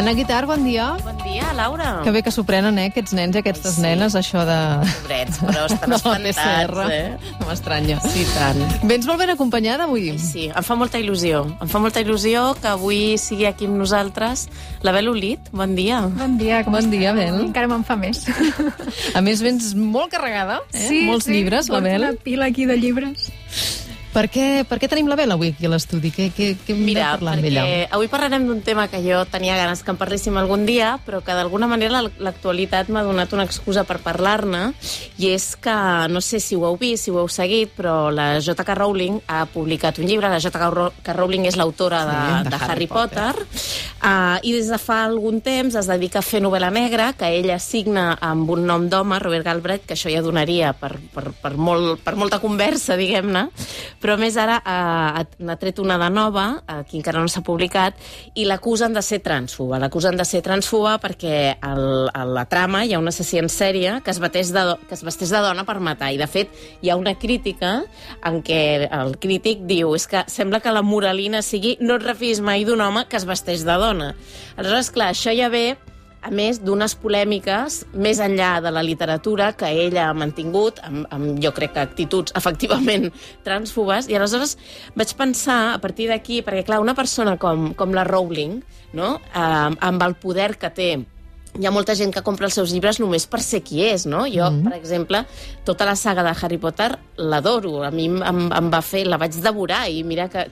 Anna Guitart, bon dia. Bon dia, Laura. Que bé que s'ho prenen, aquests nens i aquestes nenes, això de... Pobrets, però estan espantats, No m'estranya. Sí, tant. Vens molt ben acompanyada avui? Sí, em fa molta il·lusió. Em fa molta il·lusió que avui sigui aquí amb nosaltres la Bel Olit. Bon dia. Bon dia, com Bon dia, Bel. Encara me'n fa més. A més, vens molt carregada, Molts llibres, la Bel. Una pila aquí de llibres. Per què tenim la Bel avui aquí a l'estudi? Què hem de parlar amb ella? Mira, avui parlarem d'un tema que jo tenia ganes que en parléssim algun dia, però que d'alguna manera l'actualitat m'ha donat una excusa per parlar-ne, i és que, no sé si ho heu vist, si ho heu seguit, però la J.K. Rowling ha publicat un llibre. La J.K. Rowling és l'autora de Harry Potter, i des de fa algun temps es dedica a fer novel·la negra, que ella signa amb un nom d'home, Robert Galbraith, que això ja donaria per molta conversa, diguem-ne, però a més ara n'ha tret una de nova, que encara no s'ha publicat, i l'acusen de ser trànsfoba. L'acusen de ser trànsfoba perquè a la trama hi ha un assassí en sèrie que es vesteix de dona per matar, i de fet hi ha una crítica en què el crític diu és que sembla que la moralina sigui no et refiïs mai d'un home que es vesteix de dona. Aleshores, clar, això ja ve a més d'unes polèmiques més enllà de la literatura que ella ha mantingut, amb jo crec que actituds efectivament trànsfobes, i aleshores vaig pensar a partir d'aquí, perquè clar, una persona com la Rowling, no? Amb el poder que té, hi ha molta gent que compra els seus llibres només per ser qui és, no? Jo, per exemple, tota la saga de Harry Potter l'adoro. A mi em va fer... La vaig devorar i mira que...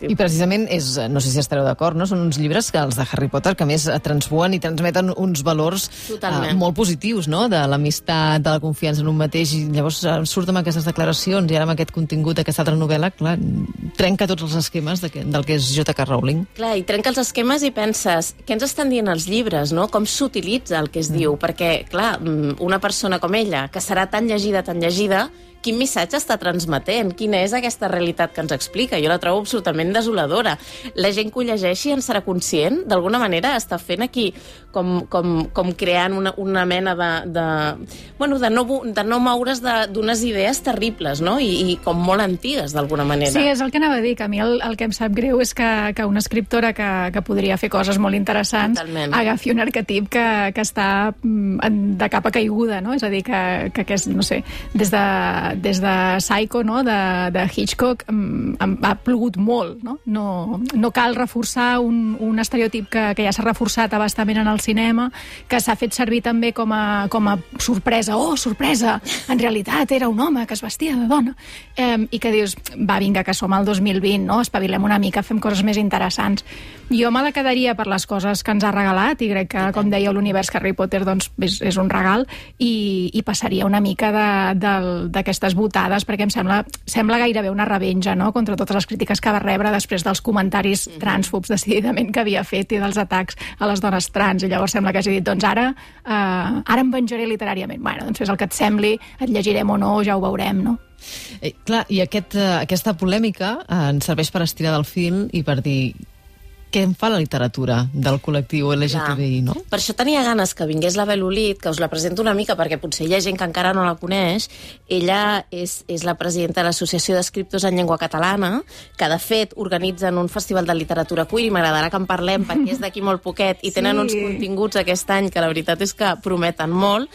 I precisament és... No sé si estareu d'acord, no? Són uns llibres que els de Harry Potter que més transbuen i transmeten uns valors molt positius, no? De l'amistat, de la confiança en un mateix, i llavors surt amb aquestes declaracions i ara amb aquest contingut d'aquesta altra novel·la, clar, trenca tots els esquemes del que és J.K. Rowling. Clar, i trenca els esquemes i penses, què ens estan dient els llibres, no? Com s'utilitza el que es diu, perquè, clar, una persona com ella, que serà tan llegida, quin missatge està transmetent? Quina és aquesta realitat que ens explica? Jo la trobo absolutament desoladora. La gent que ho llegeixi en serà conscient? D'alguna manera està fent aquí com creant una mena de no moure's d'unes idees terribles, no? I com molt antigues, d'alguna manera. Sí, és el que anava a dir, que a mi el que em sap greu és que una escriptora que podria fer coses molt interessants agafi un arquetip que està de capa caiguda, no? És a dir, que és, no sé, des de Psycho, no? de Hitchcock, ha plogut molt, no? No cal reforçar un estereotip que ja s'ha reforçat abastament en el cinema, que s'ha fet servir també com a sorpresa. Oh, sorpresa! En realitat era un home que es vestia de dona. I que dius, va, vinga, que som al 2020, no? Espavilem una mica, fem coses més interessants. Jo me la quedaria per les coses que ens ha regalat, i crec que, com deia, l'univers Harry Potter doncs, és un regal, i passaria una mica d'aquestes votades, perquè em sembla gairebé una revenja, no?, contra totes les crítiques que va rebre després dels comentaris trànsfobs decididament que havia fet i dels atacs a les dones trans, i llavors sembla que hagi dit, doncs ara em venjaré literàriament. Bueno, doncs fes el que et sembli, et llegirem o no, ja ho veurem, no? Clar, i aquesta polèmica ens serveix per estirar del fil i per dir què en fa la literatura del col·lectiu LGTBI, no? Per això tenia ganes que vingués la Bel Olit, que us la presento una mica, perquè potser hi ha gent que encara no la coneix. Ella és la presidenta de l'Associació d'Escriptors en Llengua Catalana, que de fet organitzen un festival de literatura queer, i m'agradarà que en parlem perquè és d'aquí molt poquet, i tenen uns continguts aquest any que la veritat és que prometen molt.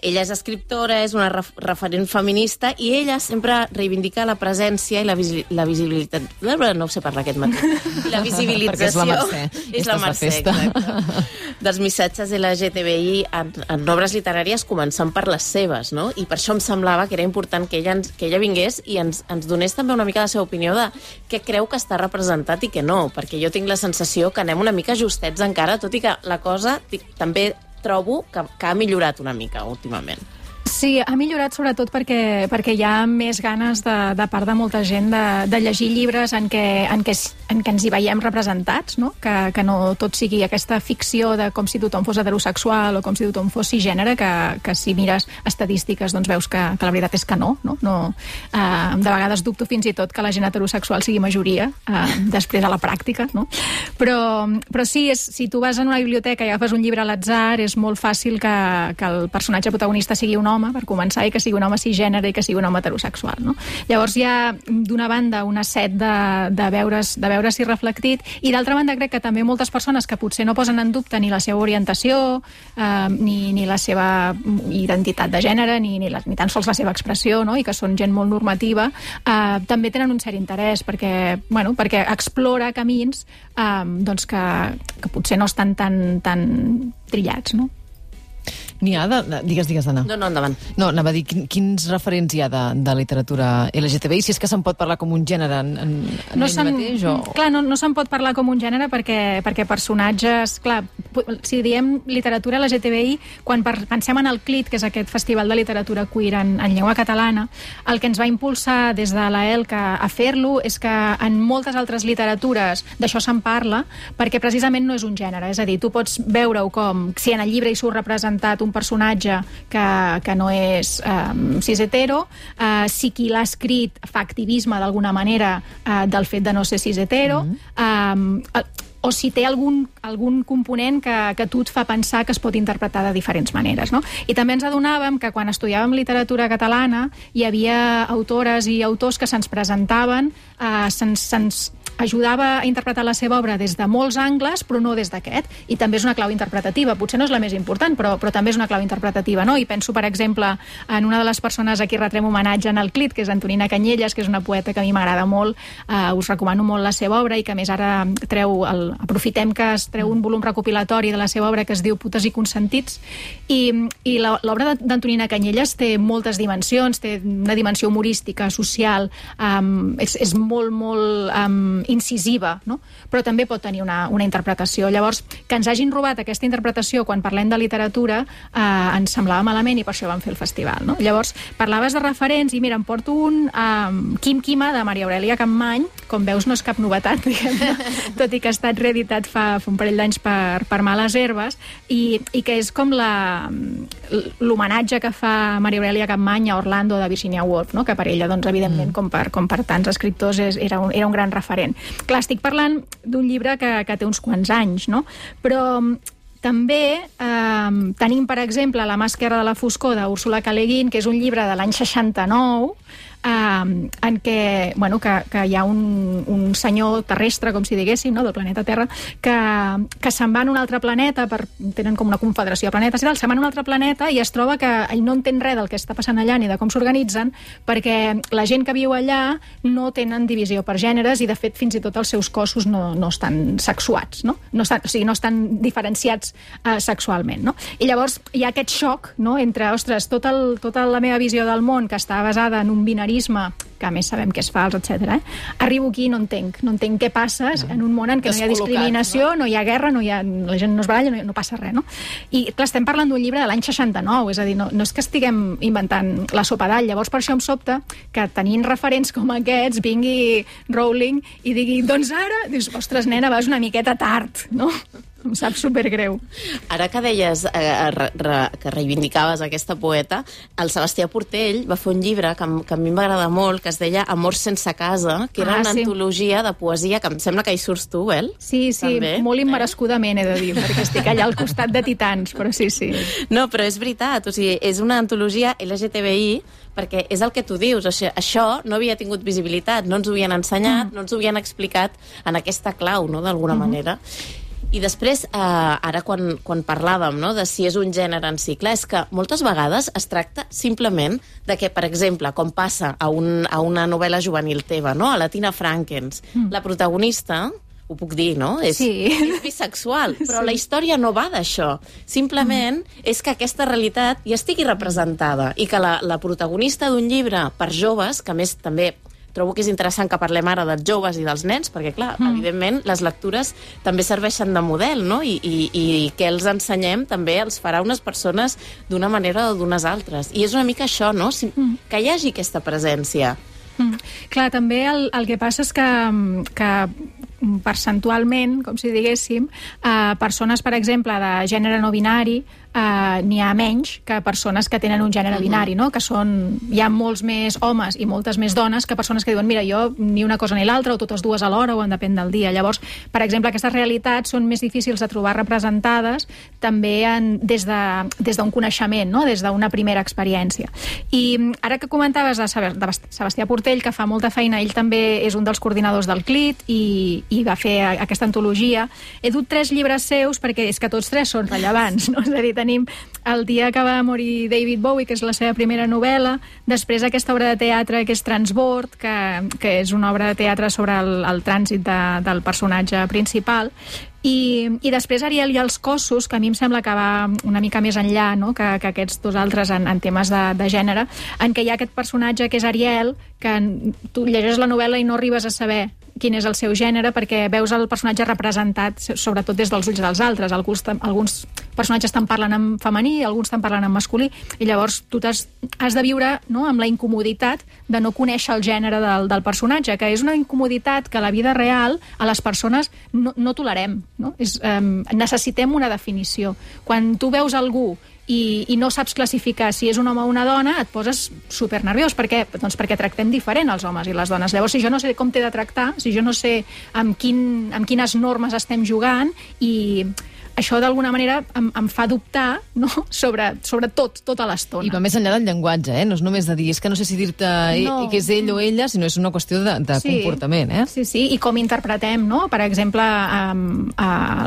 Ella és escriptora, és una referent feminista, i ella sempre reivindica la presència i la visibilitat... No ho sé parlar aquest matí. I la visibilització... És la Mercè, exacte. Dels missatges LGTBI en obres literàries, començant per les seves, no? I per això em semblava que era important que ella vingués i ens donés també una mica la seva opinió de què creu que està representat i què no, perquè jo tinc la sensació que anem una mica justets encara, tot i que la cosa també trobo que ha millorat una mica últimament. Sí, ha millorat sobretot perquè hi ha més ganes de part de molta gent de llegir llibres en què ens hi veiem representats, no? Que no tot sigui aquesta ficció de com si tothom fos heterosexual o com si tothom fos cisgènere, que si mires estadístiques doncs veus que la veritat és que no. De vegades dubto fins i tot que la gent heterosexual sigui majoria després a la pràctica, no? Però sí, si tu vas a una biblioteca i agafes un llibre a l'atzar, és molt fàcil que el personatge protagonista sigui un home, per començar, i que sigui un home cisgènere i que sigui un home heterosexual, no? Llavors hi ha, d'una banda, una set de veure-s'hi reflectit, i d'altra banda crec que també moltes persones que potser no posen en dubte ni la seva orientació, ni la seva identitat de gènere, ni tan sols la seva expressió, no? I que són gent molt normativa, també tenen un cert interès perquè explora camins doncs que potser no estan tan trillats, no? N'hi ha de... Digues, Anna. No, endavant. No, anava a dir, quins referents hi ha de literatura LGTBI? Si és que se'n pot parlar com un gènere en ell mateix? Clar, no se'n pot parlar com un gènere perquè personatges... Clar, si diem literatura LGTBI, quan pensem en el CLIT, que és aquest festival de literatura queer en llengua catalana, el que ens va impulsar des de la ELCA a fer-lo és que en moltes altres literatures d'això se'n parla, perquè precisament no és un gènere. És a dir, tu pots veure-ho com si en el llibre hi surt representat un personatge que no és cis-hetero, si qui l'ha escrit fa activisme d'alguna manera del fet de no ser cis-hetero, o si té algun component que a tu et fa pensar que es pot interpretar de diferents maneres, no? I també ens adonàvem que quan estudiàvem literatura catalana hi havia autores i autors que se'ns presentaven, se'ns ajudava a interpretar la seva obra des de molts angles, però no des d'aquest. I també és una clau interpretativa. Potser no és la més important, però també és una clau interpretativa, no? I penso, per exemple, en una de les persones a qui retrem homenatge en el CLIT, que és Antonina Canyelles, que és una poeta que a mi m'agrada molt. Us recomano molt la seva obra i que, a més, ara aprofitem que es treu un volum recopilatori de la seva obra que es diu Putes i consentits. I l'obra d'Antonina Canyelles té moltes dimensions, té una dimensió humorística, social, és molt incisiva, no? Però també pot tenir una interpretació. Llavors, que ens hagin robat aquesta interpretació quan parlem de literatura ens semblava malament i per això vam fer el festival, no? Llavors, parlaves de referents i mira, em porto un Quim Quima, de Maria Aurèlia Capmany. Com veus, no és cap novetat, diguem-ne, tot i que ha estat reeditat fa un parell d'anys per Males Herbes, i que és com l'homenatge que fa Maria Aurèlia Capmany a Orlando de Virginia Woolf, no? Que per ella, doncs, evidentment, com per tants escriptors, era un gran referent. Clar, estic parlant d'un llibre que té uns quants anys, no? Però també tenim, per exemple, La mà esquerra de la foscor, d'Úrsula K. Le Guin, que és un llibre de l'any 69, en què hi ha un senyor terrestre, com si diguéssim, no? Del planeta Terra, que se'n va a un altre planeta, tenen com una confederació de planetes i tal, se'n va a un altre planeta i es troba que ell no entén res del que està passant allà ni de com s'organitzen, perquè la gent que viu allà no tenen divisió per gèneres i, de fet, fins i tot els seus cossos no estan sexuats, no? O sigui, no estan diferenciats sexualment, no? I llavors hi ha aquest xoc, no? Entre, ostres, tota la meva visió del món, que està basada en un binarisme, que a més sabem que és fals, etc. Arribo aquí i no entenc què passa en un món en què no hi ha discriminació, no hi ha guerra, la gent no es baralla, no passa res, no? I clar, estem parlant d'un llibre de l'any 69, és a dir, no és que estiguem inventant la sopa d'all. Llavors, per això em sobta que tenint referents com aquests vingui Rowling i digui, doncs ara, dius, ostres, nena, vas una miqueta tard, no? Em sap supergreu. Ara que deies que reivindicaves aquesta poeta, el Sebastià Portell va fer un llibre que a mi em va agradar molt, que es deia Amor sense casa, que era una antologia de poesia, que em sembla que hi surts tu, Bel? Sí, també, molt immerescudament, he de dir, perquè estic allà al costat de titans, però sí. No, però és veritat, o sigui, és una antologia LGTBI, perquè és el que tu dius, això no havia tingut visibilitat, no ens ho havien ensenyat, no ens ho havien explicat en aquesta clau, no?, d'alguna manera. I després, ara quan parlàvem, no?, de si és un gènere en si, clar, és que moltes vegades es tracta simplement de que, per exemple, com passa a una novel·la juvenil teva, no?, a la Tina Frankens, la protagonista, ho puc dir, no?, és bisexual, però la història no va d'això. Simplement és que aquesta realitat ja estigui representada i que la protagonista d'un llibre per joves, que a més també trobo que és interessant que parlem ara dels joves i dels nens, perquè, clar, evidentment, les lectures també serveixen de model, no? I que els ensenyem també els farà unes persones d'una manera o d'unes altres. I és una mica això, no? Que hi hagi aquesta presència. Clar, també el que passa és que percentualment, com si diguéssim, persones, per exemple, de gènere no binari, n'hi ha menys que persones que tenen un gènere binari, no? Que hi ha molts més homes i moltes més dones que persones que diuen, mira, jo ni una cosa ni l'altra, o totes dues alhora, o en depèn del dia. Llavors, per exemple, aquestes realitats són més difícils de trobar representades també des d'un coneixement, no? Des d'una primera experiència. I ara que comentaves de Sebastià Portell, que fa molta feina, ell també és un dels coordinadors del CLIT i va fer aquesta antologia, he dut 3 llibres seus perquè és que tots 3 són rellevants, no? És a dir, tenim El dia que va morir David Bowie, que és la seva primera novel·la, després aquesta obra de teatre que és Transbord, que és una obra de teatre sobre el trànsit del personatge principal, i després Ariel i els cossos, que a mi em sembla que va una mica més enllà, no? que aquests dos altres en temes de gènere, en què hi ha aquest personatge que és Ariel, que tu llegeixes la novel·la i no arribes a saber quin és el seu gènere, perquè veus el personatge representat sobretot des dels ulls dels altres. Alguns personatges te'n parlen en femení, alguns te'n parlen en masculí, i llavors tu has de viure, no?, amb la incomoditat de no conèixer el gènere del personatge, que és una incomoditat que a la vida real a les persones no tolerem, no? Necessitem una definició. Quan tu veus algú i no saps classificar si és un home o una dona, et poses supernerviós. Per què? Doncs perquè tractem diferent els homes i les dones. Llavors, si jo no sé com t'he de tractar, si jo no sé amb quines normes estem jugant, i això d'alguna manera em fa dubtar, no?, sobre tota l'estona. I va més enllà del llenguatge, no és només de dir, és que no sé si dir-te que és ell o ella, sinó és una qüestió de comportament. Sí, i com interpretem, no? Per exemple,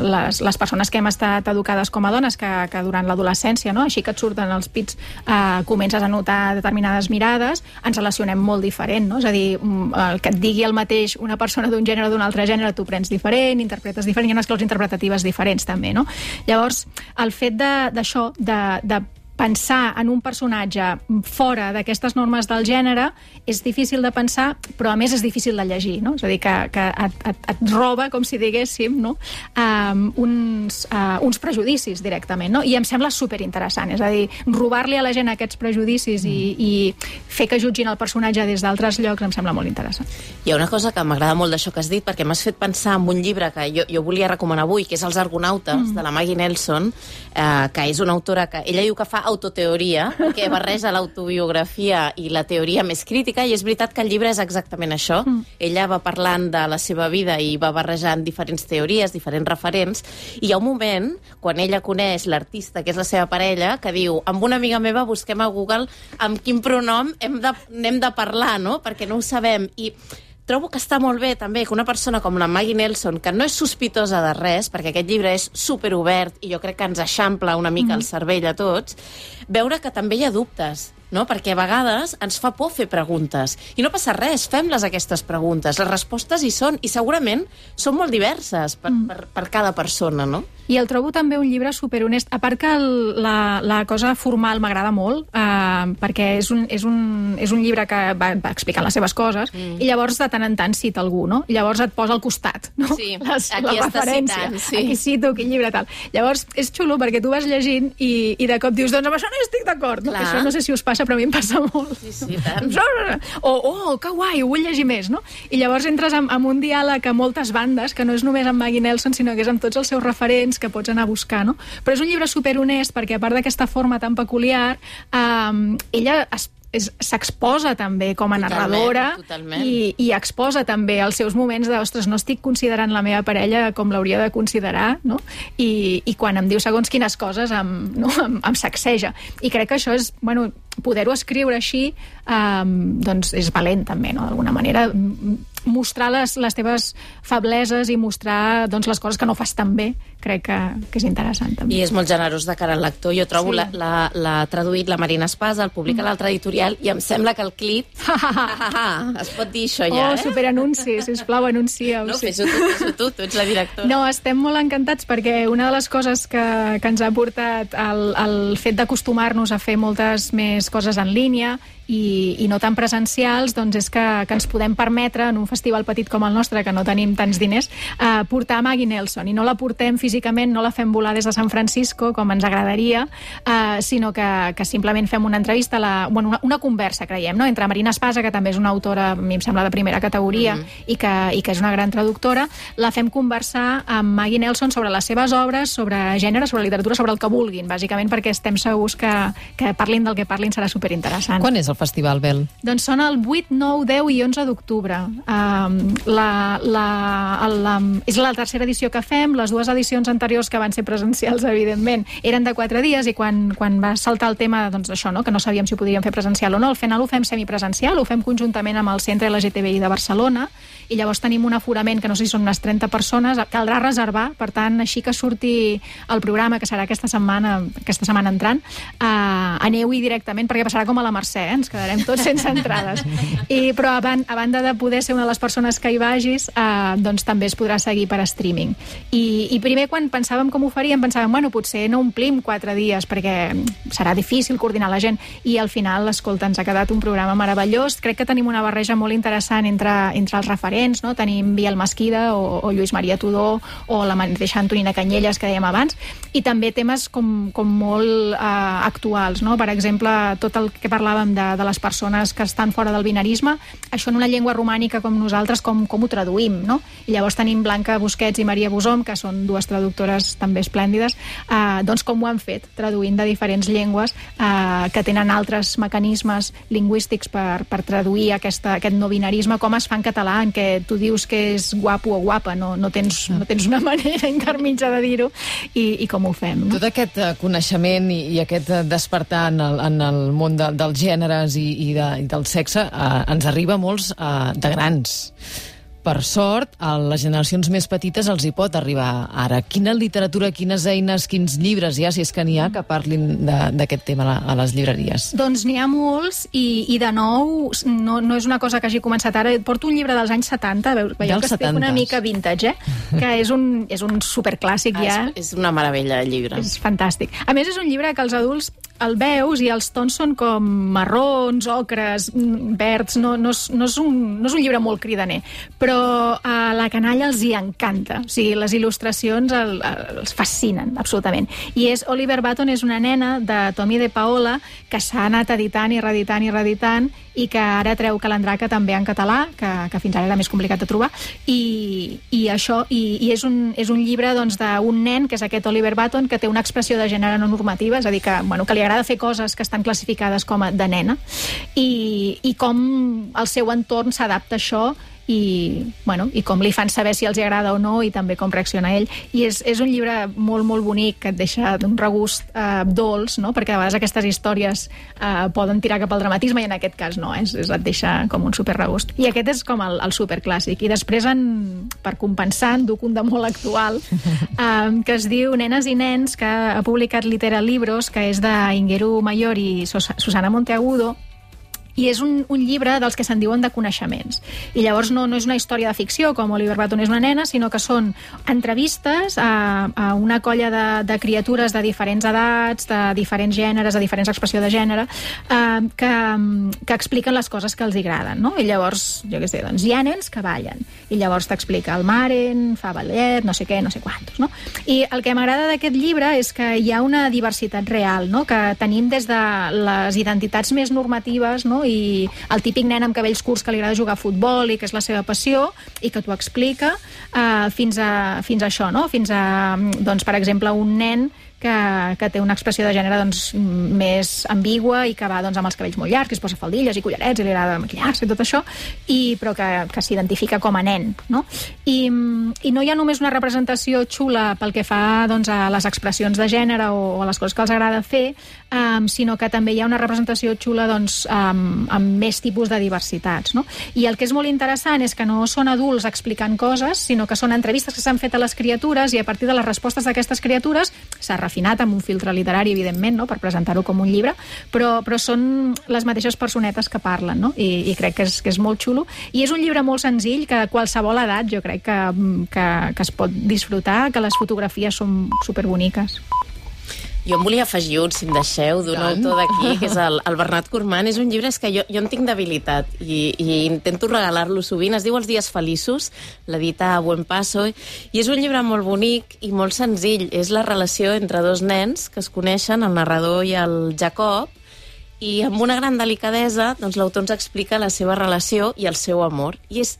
les persones que hem estat educades com a dones, que durant l'adolescència, no?, així que et surten els pits, comences a notar determinades mirades, ens relacionem molt diferent, no? És a dir, que et digui el mateix una persona d'un gènere o d'un altre gènere, tu prens diferent, interpretes diferent, hi ha unes claus interpretatives diferents també, no? Llavors, el fet d'això, de pensar en un personatge fora d'aquestes normes del gènere és difícil de pensar, però a més és difícil de llegir, no? És a dir, que et roba, com si diguéssim, no?, uns prejudicis directament, no? I em sembla superinteressant, és a dir, robar-li a la gent aquests prejudicis i fer que jutgin el personatge des d'altres llocs em sembla molt interessant. Hi ha una cosa que m'agrada molt d'això que has dit, perquè m'has fet pensar en un llibre que jo volia recomanar avui, que és Els Argonautes, de la Maggie Nelson, que és una autora que ella diu que fa autoteoria, perquè barreja l'autobiografia i la teoria més crítica, i és veritat que el llibre és exactament això. Ella va parlant de la seva vida i va barrejant diferents teories, diferents referents, i hi ha un moment, quan ella coneix l'artista, que és la seva parella, que diu, amb una amiga meva busquem a Google amb quin pronom hem de parlar, no?, perquè no ho sabem. I trobo que està molt bé també que una persona com la Maggie Nelson, que no és sospitosa de res, perquè aquest llibre és superobert i jo crec que ens eixampla una mica el cervell a tots, veure que també hi ha dubtes, no? Perquè a vegades ens fa por fer preguntes. I no passa res, fem-les aquestes preguntes. Les respostes hi són, i segurament són molt diverses per cada persona, no? I el trobo també un llibre superhonest. A part que la cosa formal m'agrada molt, perquè és un llibre que va explicant les seves coses, i llavors de tant en tant cita algú, no? I llavors et posa al costat, no? Sí, aquí està citant, sí. Aquí cito, quin llibre, tal. Llavors és xulo perquè tu vas llegint i de cop dius, doncs amb això no estic d'acord. No? Això no sé si us passa, però a mi em passa molt. Sí, tant. Que guai, ho vull llegir més, no? I llavors entres en un diàleg a moltes bandes, que no és només amb Maggie Nelson, sinó que és amb tots els seus referents que pots anar a buscar, no? Però és un llibre superhonest perquè, a part d'aquesta forma tan peculiar, ella s'exposa també com a narradora i exposa també els seus moments de, ostres, no estic considerant la meva parella com l'hauria de considerar, no? I quan em diu segons quines coses em sacseja. I crec que això és, bueno, poder-ho escriure així, doncs és valent també, no? D'alguna manera, mostrar les teves febleses i mostrar, doncs, les coses que no fas tan bé, crec que és interessant també. I és molt generós de cara al lector. Jo trobo l'ha traduït la Marina Espasa, el publica l'altre editorial, i em sembla que el CLIT... Es pot dir això ja, superanunci, sisplau, anuncieu. No, fes-ho tu ets la directora. No, estem molt encantats perquè una de les coses que ens ha portat el fet d'acostumar-nos a fer moltes més coses en línia i no tan presencials, doncs és que ens podem permetre en un festival petit com el nostre, que no tenim tants diners, portar Maggie Nelson, i no la portem físicament físicament no la fem volar des de San Francisco, com ens agradaria, sinó que simplement fem una entrevista, una conversa, creiem, no? Entre Marina Espasa, que també és una autora, a mi em sembla, de primera categoria, i que és una gran traductora, la fem conversar amb Maggie Nelson sobre les seves obres, sobre gènere, sobre literatura, sobre el que vulguin, bàsicament perquè estem segurs que parlin del que parlin serà superinteressant. Quan és el festival, Bel? Doncs són el 8, 9, 10 i 11 d'octubre. És la tercera edició que fem. Les dues edicions anteriors, que van ser presencials, evidentment, eren de 4 dies, i quan va saltar el tema, doncs això, no?, que no sabíem si ho podríem fer presencial o no, al final ho fem semipresencial, ho fem conjuntament amb el Centre LGTBI de Barcelona, i llavors tenim un aforament que no sé si són unes 30 persones, caldrà reservar, per tant, així que surti el programa, que serà aquesta setmana entrant, aneu-hi directament, perquè passarà com a la Mercè, ens quedarem tots sense entrades. Però a banda de poder ser una de les persones que hi vagis, doncs també es podrà seguir per streaming. I primer, quan pensàvem com ho faríem, pensàvem, bueno, potser no omplim 4 dies, perquè serà difícil coordinar la gent, i al final, escolta, ens ha quedat un programa meravellós. Crec que tenim una barreja molt interessant entre els referents, no? Tenim Biel Mesquida o Lluís Maria Tudó o la mateixa Antonina Canyelles, que dèiem abans, i també temes com molt actuals, no? Per exemple, tot el que parlàvem de les persones que estan fora del binarisme, això en una llengua romànica com nosaltres, com ho traduïm, no? I llavors tenim Blanca Busquets i Maria Bosom, que són dues traductores també esplèndides, doncs com ho han fet, traduint de diferents llengües que tenen altres mecanismes lingüístics per traduir aquest no binarisme, com es fa en català, en què tu dius que és guapo o guapa, no tens una manera intermitja de dir-ho, i com ho fem. No? Tot aquest coneixement i aquest despertar en el món dels gèneres i del sexe ens arriba a molts de grans. Per sort, a les generacions més petites els hi pot arribar ara. Quina literatura, quines eines, quins llibres hi ha, si és que n'hi ha, que parlin d'aquest tema a les llibreries? Doncs n'hi ha molts, i de nou, no és una cosa que hagi començat ara. Porto un llibre dels anys 70, veieu que estic una mica vintage, que és un superclàssic ja. És una meravella de llibre. És fantàstic. A més, és un llibre que els adults el veus i els tons són com marrons, ocres, verds, no és un llibre molt cridaner, però a la canalla els hi encanta. O sigui, les il·lustracions els fascinen, absolutament. I Oliver Button és una nena de Tommy de Paola que s'ha anat editant i reeditant, i que ara treu Calandraca també en català, que fins ara era més complicat de trobar, i és un llibre doncs, d'un nen, que és aquest Oliver Button, que té una expressió de gènere no normativa, és a dir, que li agrada fer coses que estan classificades com a de nena, i com el seu entorn s'adapta a això, i com li fan saber si els agrada o no, i també com reacciona ell. I és un llibre molt, molt bonic, que et deixa d'un regust dolç, no? Perquè a vegades aquestes històries poden tirar cap al dramatisme, i en aquest cas no, et deixa com un superregust. I aquest és com el superclàssic. I després, per compensar, en duc un de molt actual, que es diu Nenes i nens, que ha publicat Litera Libros, que és d'Ingeru Mayor i Susana Monteagudo, i és un llibre dels que se'n diuen de coneixements. I llavors no és una història de ficció, com Oliver Button és una nena, sinó que són entrevistes a una colla de criatures de diferents edats, de diferents gèneres, de diferents expressió de gènere, que expliquen les coses que els agraden, no? I llavors, jo què sé, doncs hi ha nens que ballen, i llavors t'explica el Maren, fa ballet, no sé què, no sé quantos, no? I el que m'agrada d'aquest llibre és que hi ha una diversitat real, no? Que tenim des de les identitats més normatives, no? I el típic nen amb cabells curts que li agrada jugar a futbol i que és la seva passió i que t'ho explica, fins a això, no? Fins a, doncs, per exemple, un nen que té una expressió de gènere doncs, més ambigua i que va doncs, amb els cabells molt llargs, que es posa faldilles i collarets i li agrada maquillar-se i tot això, però que s'identifica com a nen, no? I no hi ha només una representació xula pel que fa doncs, a les expressions de gènere o a les coses que els agrada fer, sinó que també hi ha una representació xula doncs, amb més tipus de diversitats, no? I el que és molt interessant és que no són adults explicant coses, sinó que són entrevistes que s'han fet a les criatures, i a partir de les respostes d'aquestes criatures s'ha refinat amb un filtre literari, evidentment, no? Per presentar-ho com un llibre, però són les mateixes personetes que parlen, no? I crec que és molt xulo. I és un llibre molt senzill, que a qualsevol edat jo crec que es pot disfrutar, que les fotografies són superboniques. Jo em volia afegir un, si em deixeu, d'un autor d'aquí, que és el Bernat Cormant. És un llibre que jo en tinc debilitat i intento regalar-lo sovint. Es diu Els dies feliços, l'edita Buen Paso, i és un llibre molt bonic i molt senzill. És la relació entre dos nens que es coneixen, el narrador i el Jacob, i amb una gran delicadesa doncs, l'autor ens explica la seva relació i el seu amor. I és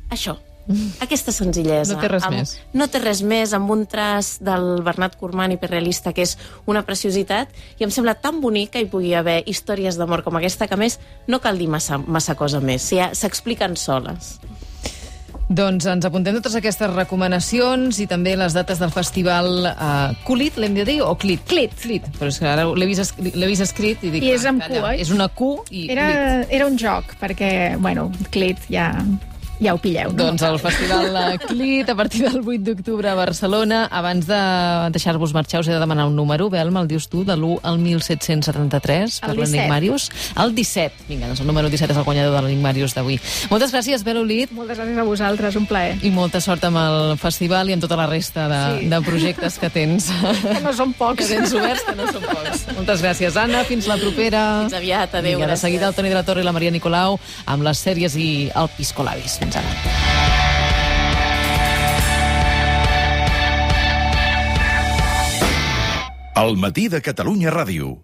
això, aquesta senzillesa. No té res més. No té res més, amb un traç del Bernat Cormant hiperrealista, que és una preciositat, i em sembla tan bonic que hi pugui haver històries d'amor com aquesta, que a més no cal dir massa cosa més, s'expliquen soles. Doncs ens apuntem totes aquestes recomanacions i també les dates del festival Culit, l'hem de dir, o Clit? Clit. Però és que ara l'he vist escrit i dic... I és amb Q, és una Q i Clit. Era un joc, perquè, bueno, Clit ja ho pilleu. No? Doncs el festival Clit, a partir del 8 d'octubre a Barcelona. Abans de deixar-vos marxar, us he de demanar un número, Belma, el dius tu, de l'1 al 1773, per l'Enigmàrius. El 17. Vinga, doncs el número 17 és el guanyador de l'Enigmàrius d'avui. Moltes gràcies, Bel Olid. Moltes gràcies a vosaltres, un plaer. I molta sort amb el festival i amb tota la resta de projectes que tens. Que no són pocs. Que tens oberts, que no són pocs. Moltes gràcies, Anna. Fins la propera. Fins aviat, adéu. Vinga, de seguida el Toni de la Torre i la Maria Nicolau amb les sèries i el Piscolabis. Fins ara. El matí de Catalunya Ràdio.